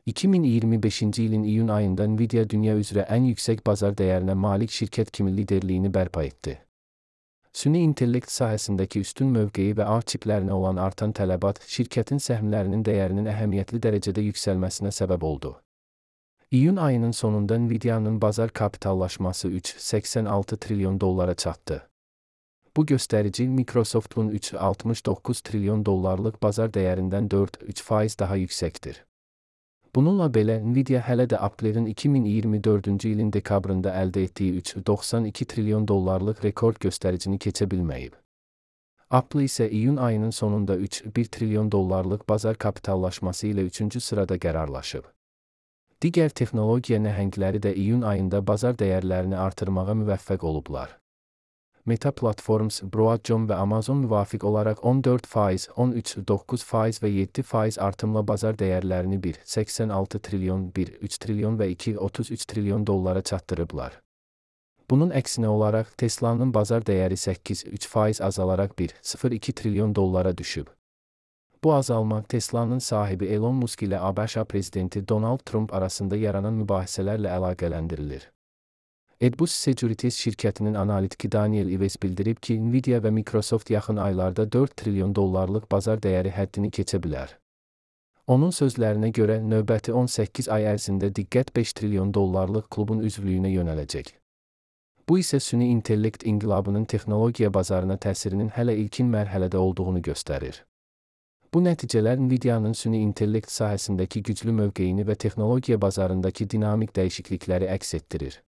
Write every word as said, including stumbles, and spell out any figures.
iki min iyirmi beşinci ilin iyun ayında Nvidia dünya üzrə ən yüksək bazar dəyərinə malik şirkət kimi liderliyini bərpa etdi. Süni intellekt sahəsindəki üstün mövqeyi və ağ çiplərinə olan artan tələbat şirkətin səhmlərinin dəyərinin əhəmiyyətli dərəcədə yüksəlməsinə səbəb oldu. İyun ayının sonunda Nvidia'nın bazar kapitallaşması üç nöqtə səksən altı trilyon dollara çatdı. Bu göstərici Microsoft'un üç nöqtə altmış doqquz trilyon dollarlıq bazar dəyərindən dörd nöqtə üç faiz daha yüksəkdir. Bununla belə, Nvidia hələ də Apple'in iki min iyirmi dördüncü ilin dekabrında əldə etdiyi üç nöqtə doxsan iki trilyon dollarlıq rekord göstəricini keçə bilməyib. Apple isə iyun ayının sonunda üç nöqtə bir trilyon dollarlıq bazar kapitallaşması ilə üçüncü sırada qərarlaşıb. Digər texnologiya nəhəngləri də iyun ayında bazar dəyərlərini artırmağa müvəffəq olublar. Meta Platforms, Broadcom və Amazon müvafiq olaraq on dörd faiz, on üç nöqtə doqquz faiz və yeddi faiz artımla bazar dəyərlərini bir nöqtə səksən altı trilyon, bir nöqtə üç trilyon və iki nöqtə otuz üç trilyon dollara çatdırıblar. Bunun əksinə olaraq Tesla'nın bazar dəyəri səkkiz nöqtə üç faiz azalaraq bir nöqtə sıfır iki trilyon dollara düşüb. Bu azalma Tesla'nın sahibi Elon Musk ilə ABŞ prezidenti Donald Trump arasında yaranan mübahisələrlə əlaqələndirilir. Edbus Securities şirkətinin analitiki Daniel Ives bildirib ki, Nvidia və Microsoft yaxın aylarda dörd trilyon dollarlıq bazar dəyəri həddini keçə bilər. Onun sözlərinə görə, növbəti on səkkiz ay ərzində diqqət beş trilyon dollarlıq klubun üzvlüyünə yönələcək. Bu isə süni intellekt inqilabının texnologiya bazarına təsirinin hələ ilkin mərhələdə olduğunu göstərir. Bu nəticələr Nvidia'nın süni intellekt sahəsindəki güclü mövqeyini və texnologiya bazarındakı dinamik dəyişiklikləri əks etdirir.